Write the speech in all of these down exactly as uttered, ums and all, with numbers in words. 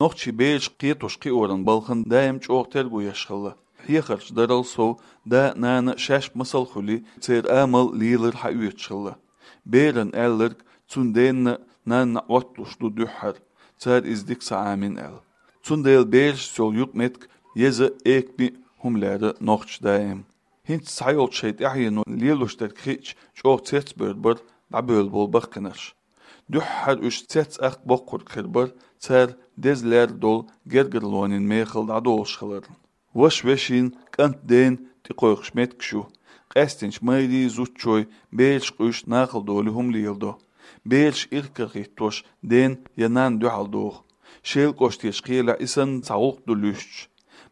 Нохчий бераш кхетош-кхиоран балхана даим чӀоагӀа терго еш хилла. Хьехарча дарал сов, да а, нана а шаьш масал а хуьлий, церан амал, лелар хьаоьцуш хилла. Беран аьлларг цун денна а, нанна а Ӏотталуш ду дуьххьара, цара иза дика ца Ӏамийна аьлла. Цундела берашца йолу юкъаметтиг еза а, экаме а хӀума лерра нохчаша даим. ХӀинца цхьайолчу шайн тӀаьхьено лелош дерг хиъча, чӀогӀа цецбевр бара дӀабевлла болу баккхийнарш. Дуьххьара уьш цец-ахка боккхург хир бара, цара деза лерра долу гергарлонийн мехала дӀадолуш хиларна. Ваша вешин, кӀант ден тӀекхойкхуш меттигаш ю. Къаьстинчу майрийн, зудчойн бераш къуьйсуш, нахала долий хӀума леладо. Бераш ирхкарахӀиттош ден я нанна дуьхьал доху. Шелан кӀоштарчу кхелехь и санна цхьа гӀуллакх ду луьстуш.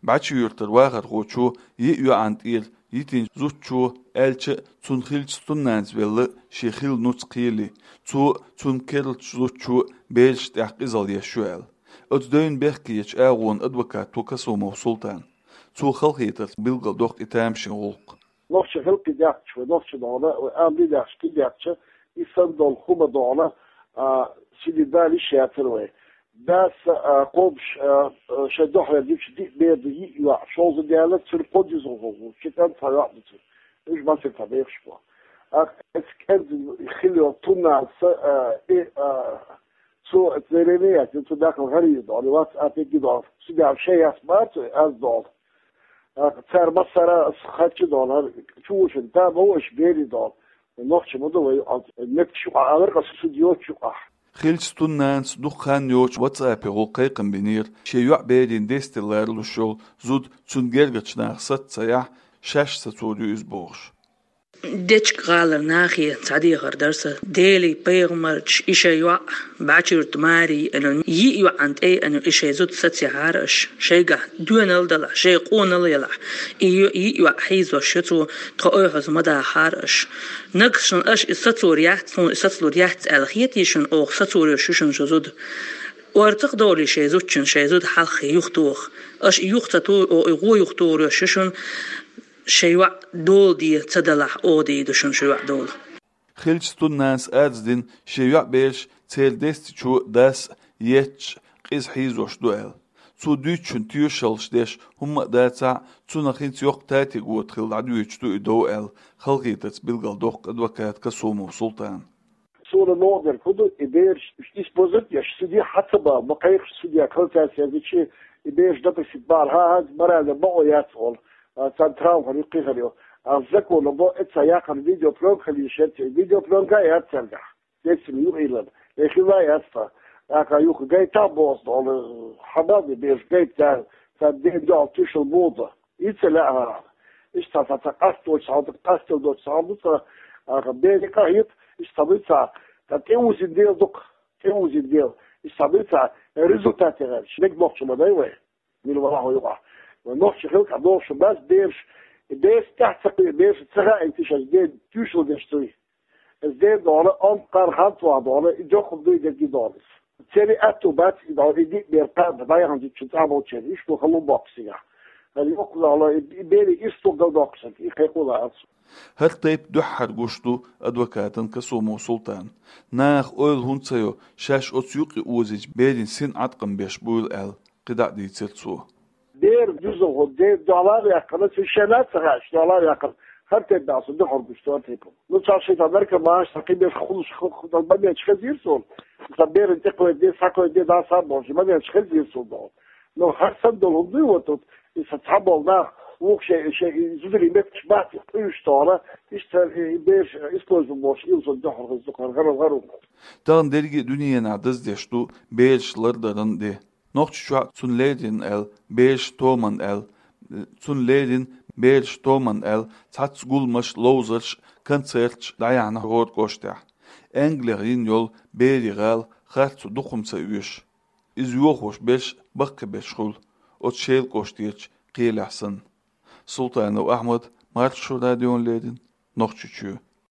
БӀачи-Юьртара вахархочо йиъ йоӀана тӀера йитинчу зудчо аьлча а, цунна хиллачу стуннанас велла шен хилла нуц кхелий, цо а, цунна керлачу зудчо а берашна тӀехь къизалла еш ю аьлла. Оцу девнна бехкечу агӀонан адвокат ву Касумов Султан. Цо халахетарца билгалдоккху и тамашийна гӀуллакх. Нохчийн хилла кхин даьхча, вай нохчийн догӀана, вай амма дин даьхча, кхин даьхча, и санна долу хӀума догӀана, а, сиди далиш яцара вай. Дас, а, кхобуш, а, а, шайн дуьхьал дича диъ бер ду, йиъ йоӀ, шовзткъа даьлла, цуьнан кхо дезалхо ву, ши кӀант, цхьа йоӀ ду цуьнан. Уьш масех цхьа бехаш бу. А, эцу кӀентан хилла йолу тумнанас, а, и, а, цо эцу леррина яц, цу дахар гӀарий долу, вац а тӀе ги долу. Цу дегӀ шайн яц бацу, аз долу. А, цара массара а хатча долу, хӀара чу ву шуна, да, ма ву аша берий долу. Нохча ма ду вай, а, метташ юкъахь алар, аса шу йоцу юкъахь. Хиллачу стуннанас дукха хан йоцуш WhatsApp-е гӀуллакх кхайкхам бинера, шен йоӀ берийн дестий ларалуш йолу зуда цунна гергарчу наха саца ца яхь, шаьш сацор ю иза бохуш. Дечка-гӀалара нахе цхьа дехар дара сан. Делий, пайхамарчий, и шайн йоӀ, БӀачи-Юьртан Марий аьлла, йиъ йоӀана тӀе аьлла, и шайн зуда сацаяхьара аша. Шайгахь доьналла далахь, шайн къонал а ялахь, и йо-, йиъ йоӀ хьийзош ю цо, тхо ойхьаза ма дахахьара аша. Нагахь санна аша иза сацор яц, тхуна иза сацалур яц аьлла хетий шуна, оха сацор йолуш ю шуна шун зуда. Орцах долий шайн зудчун, шайн зуда хьалххе юхатоха. Аша и юха ца тухий, оха и гӀо юхатохар йолуш ю шуна. Шайн йоӀ дола де ца далахь, оха дийр ду шуна шун йоӀ дола. Хиллачу стуннанас арз дина, шен йоӀ бераш церан дестачо, дас а етташ, къиза хьийзош ду аьлла. Цо дуьйцучун тоьшаллаш деш хӀумма а дацахь а, цунах хӀинца йоккха татиг вота хилла дӀадоьдуш ду и дов аьлла, халахетарца билгалдоккху адвокат Касумов Султан. Суна новкъа дерг хӀун ду, и бераш, уьш использовать еш, суде хьа ца бала, ма кхайкхаш суде, кхалцаьрца яздичи, и бераш допросить бахьара, хӀа-, хӀа-, морально бакъо яц олу, а, царна травма хир ю, кхин хир ю. А законо бо, эца яккхар видеопленка хила йиш яц, видеопленка а яц цаьргахь. Децим юкъа йиллина. Э, хила яц тхан. ТӀаккха юха гайта а боху олу, хьан бал де бераш гайта, царна ден дуьхьал туьйшал боху. И ца лаьа хӀара. Иштта цхьа, цхьа къасточу хьал ду, къастел доцу хьал ду, цхьа, а, берийн къахьегӀа, иштта ца буьйцу, цхьа тӀеузина дела дукха, тӀеузина дела. Иштта ца буьйцу, результат яхар, шнег нохчо ма дай вай. Мила валахь вай юкъахь. Вай нохчийн хилла кхин догӀуш бац бераш, и бераш тӀаьхьа ца кхуьу, бераш ца хаийта шаьш ден туьйшал деш дуй. Иза ден догӀана, амма кхара хан цӀохь догӀана, и доккха дуй дерг и догӀана иза. Церан аьтту бац и догӀана, и диъ бер кхаба, дӀаяхана зудчун цӀа болчеран, иштта хала боккху сигахь. ХӀара йоккха догӀана, и, и берийн ирс ду галдоккхуш санна, и кхайкхо лаьа цо. ХӀара тайпа дуьххьара гуш ду адвокатан Касумов Султан. Наха ойла хӀунда ца йо, шаьш оцу юкъе озийча берийн син Ӏаткъам беш буйла аьлла, кхидӀа а дийцира цо. Бер дуза хӀун, де дӀалар яьккхина, цу шена а ца хаьаш, дӀалар яьккхина. ХӀара тайпа баьхьа со дуьхьал гуш ду, хӀара тайпа. Ну, цхьа шайтан наркоманаш, цхьа кхин беш хулаш, х-, х-, х-, моменташ хезийра суна. Цхьа беран тӀекхойдде, схьакхойдде, дӀа схьа а бохуш, моменташ хезийра суна догӀу. Ну, хӀара санна долу хӀума дуй вот тут, и сан цхьаболу нах, вукху шайн, шайн и зударийн меттигаш бац, и къуьйсуш догӀана, иштта и бераш использовать бохуш, ил сон дуьхьал хеза дукха, хӀара, хӀара, хӀара. Тахана дерриге а дуьненахь даздеш ду бераш лардаран де. Нохчийчохь цунна леррина аьлла, бераш томан аьлла, цунна леррина бераш томан аьлла, цхьацца гуламаш, ловзарш, концерташ дӀаяьхьна хӀора кӀоштехь. Англих йина йолу берийн гӀала харцо дукха хӀума ца оьшу. Иза йохош берш баккхийберш хуьлу, оцу Шелан кӀоштарчу кхелехь санна. Султанов Ахьмад, Маршо радиона леррина, Нохчийчоь.